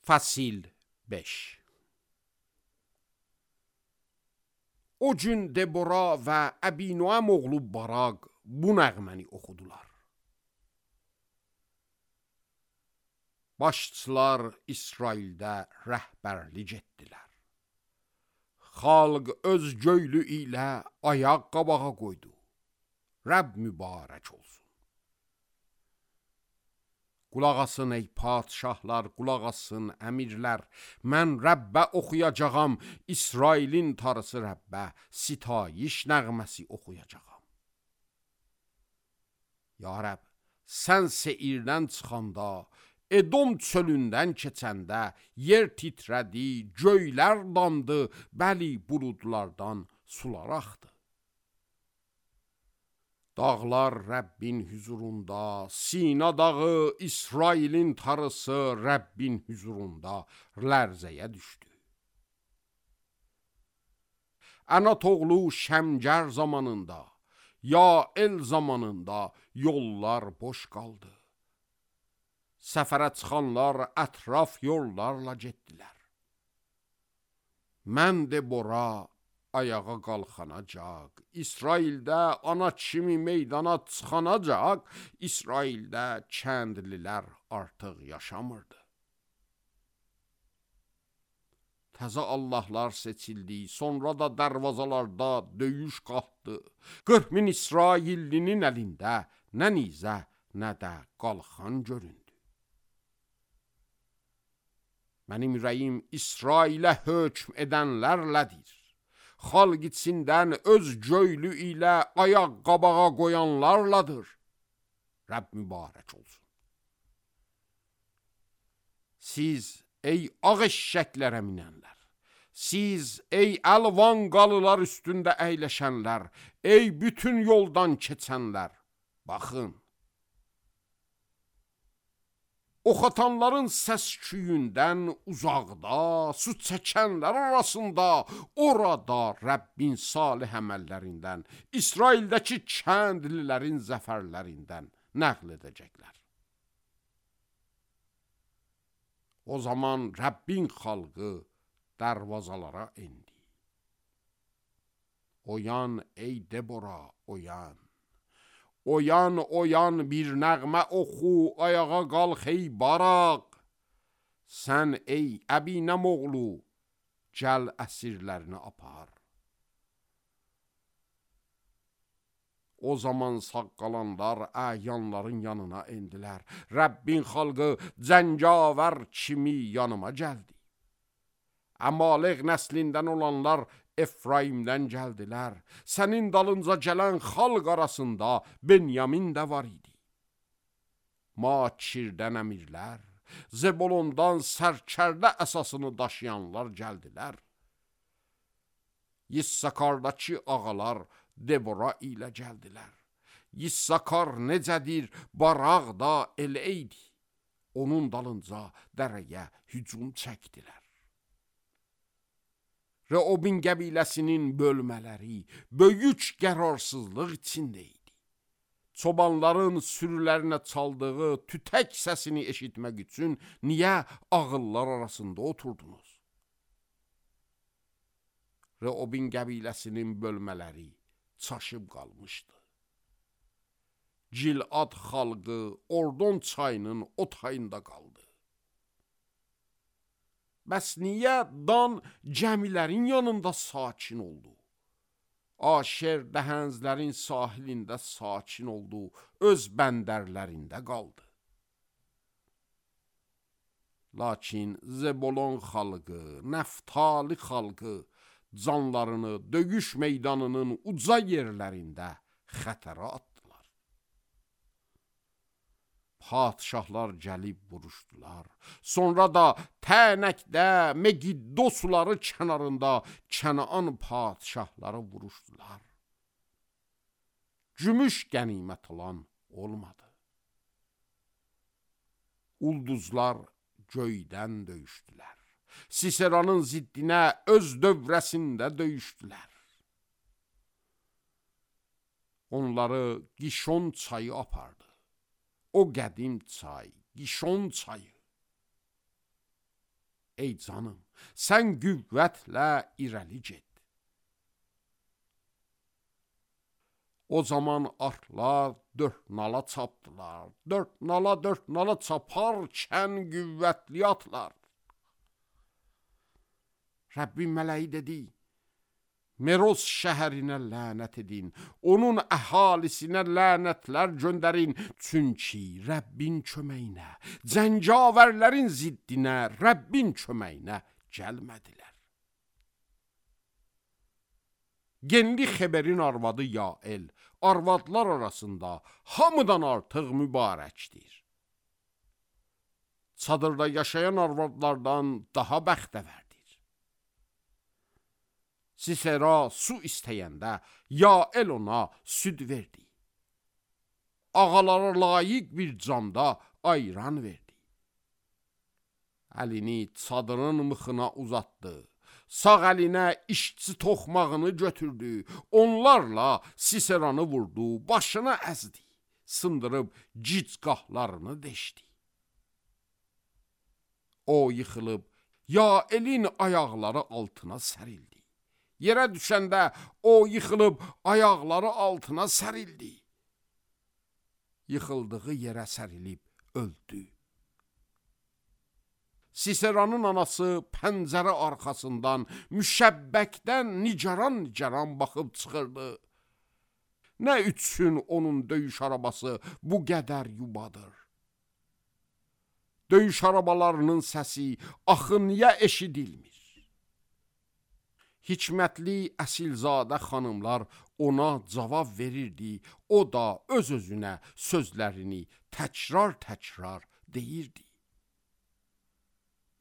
Fəsil 5. O gün Debora və Əbinoam oğlu Baraq bu nəğməni oxudular. Başçılar İsraildə rəhbərlik etdilər. Xalq öz göylü ilə ayaq qabağa qoydu. Rəbb mübarək olsun. Qulaq asın ey padşahlar, qulaq asın əmirlər. Mən Rəbbə oxuyacağam, İsrailin tarısı Rəbbə sitayiş nəğməsi oxuyacağam. Ya Rəbb, sən Seirdən çıxanda, Edom çölündən keçəndə, yer titrədi, göylər dandı, bəli buludlardan sular axdı. Dağlar Rəbbin hüzurunda, Sina dağı, İsrailin tarısı Rəbbin hüzurunda lərzəyə düşdü. Ənat oğlu Şəmgər zamanında, Yael zamanında yollar boş qaldı. Səfərə çıxanlar ətraf yollarla getdilər. Mən Debora ayağa qalxanacaq, İsraildə ana kimi meydana çıxanacaq, İsraildə kəndlilər artıq yaşamırdı. Təzə Allahlar seçildi, sonra da dərvazalarda döyüş qalxdı. 40 min İsraillinin əlində nə nizə, nə də qalxan göründü. Mənim ürəyim İsrailə hökm edənlərlədir. Xalq içindən öz göylü ilə ayaq qabağa qoyanlarladır. Rəbb mübarək olsun. Siz ey ağ eşşəklərə minənlər, siz ey əlvan qalılar üstündə əyləşənlər, ey bütün yoldan keçənlər, baxın. Oxatanların səs-küyündən uzaqda, su çəkənlər arasında, orada Rəbbin salih əməllərindən, İsraildəki kəndlilərin zəfərlərindən nəql edəcəklər. O zaman Rəbbin xalqı dərvazalara endi. Oyan ey Debora, oyan. Oyan, oyan bir nəğmə oxu, ayağa qalx ey Baraq. Sən ey Əbinəm oğlu, gəl əsirlərini apar. O zaman sağ qalanlar əyanların yanına endilər. Rəbbin xalqı cəngavər kimi yanıma gəldi. Əmalek nəslindən olanlar Efraimdən gəldilər. Sənin dalınca gələn xalq arasında Benyamin də var idi. Makirdən əmirlər, Zebolondan sərkərdə əsasını daşıyanlar gəldilər. Yissakardakı ağalar Debora ilə gəldilər. Yissakar necədir, Baraq da elə idi. Onun dalınca dərəyə hücum çəkdilər. Reobin qəbiləsinin bölmələri böyük qərarsızlıq içində idi. Çobanların sürülərinə çaldığı tütək səsini eşitmək üçün niyə ağıllar arasında oturdunuz? Reobin qəbiləsinin bölmələri çaşıb qalmışdı. Gilad xalqı Ordon çayının o tayında qaldı. Bəs niyə Dan gəmilərin yanında sakin oldu? Aşer dəhənzlərin sahilində sakin oldu, öz bəndərlərində qaldı. Lakin Zebolon xalqı, Nəftali xalqı canlarını döyüş meydanının uca yerlərində xətərə atdılar. Padşahlar gəlib vuruşdular. Sonra da Tənəkdə, Megiddo suları kənarında Kənaan padşahları vuruşdular. Gümüş qənimət alan olmadı. Ulduzlar göydən döyüşdülər. Siseranın ziddinə öz dövrəsində döyüşdülər. Onları Gişon çayı apardı. O qədim çay, Gişon çayı. ey canım, sən qüvvətlə irəli get. O zaman atlar dörd nala çapdılar, dörd nala çaparkən qüvvətli atlar. Rəbbin mələyi dedi, Meroz şəhərinə lənət edin, onun əhalisinə lənətlər göndərin, çünki Rəbbin köməyinə, cəngavərlərin ziddinə, Rəbbin köməyinə gəlmədilər. Genli Xeberin arvadı Yael, arvadlar arasında hamıdan artıq mübarəkdir. Çadırda yaşayan arvadlardan daha bəxtəvərdir. Sisera su istəyəndə Yael ona süd verdi. Ağalara layiq bir camda ayran verdi. Əlini çadırın mıxına uzatdı. Sağ əlinə işçi toxmağını götürdü. Onlarla Siseranı vurdu, başına əzdi. Sındırıb gicgahlarını deşdi. O yıxılıb Yaelin ayaqları altına sərildi. Yerə düşəndə o yıxılıb ayaqları altına sərildi. Yıxıldığı yerə sərilib öldü. Siseranın anası pəncərə arxasından müşəbbəkdən nicaran baxıb çıxırdı. Nə üçün onun döyüş arabası bu qədər yubadır? Döyüş arabalarının səsi axı niyə eşidilmir? Hikmətli əsilzadə xanımlar ona cavab verirdi, o da öz-özünə sözlərini təkrar deyirdi.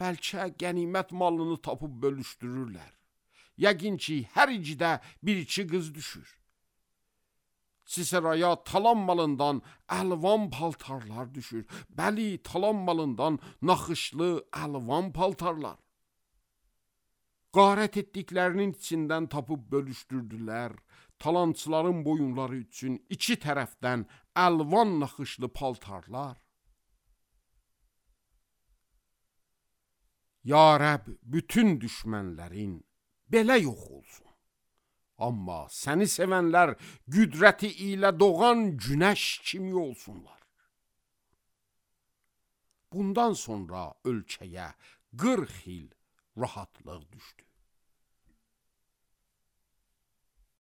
Bəlkə qənimət malını tapıb bölüşdürürlər. Yəqin ki, hər icidə bir-iki qız düşür. Siseraya talan malından əlvan paltarlar düşür. Bəli, talan malından naxışlı əlvan paltarlar. Qarət etdiklərinin içindən tapıb bölüşdürdülər. Talançıların boyunları üçün iki tərəfdən əlvan naxışlı paltarlar. Ya Rəbb, bütün düşmənlərin belə yox olsun. Amma səni sevənlər qüdrəti ilə doğan günəş kimi olsunlar. Bundan sonra ölkəyə 40 il rahatlıq düşdü.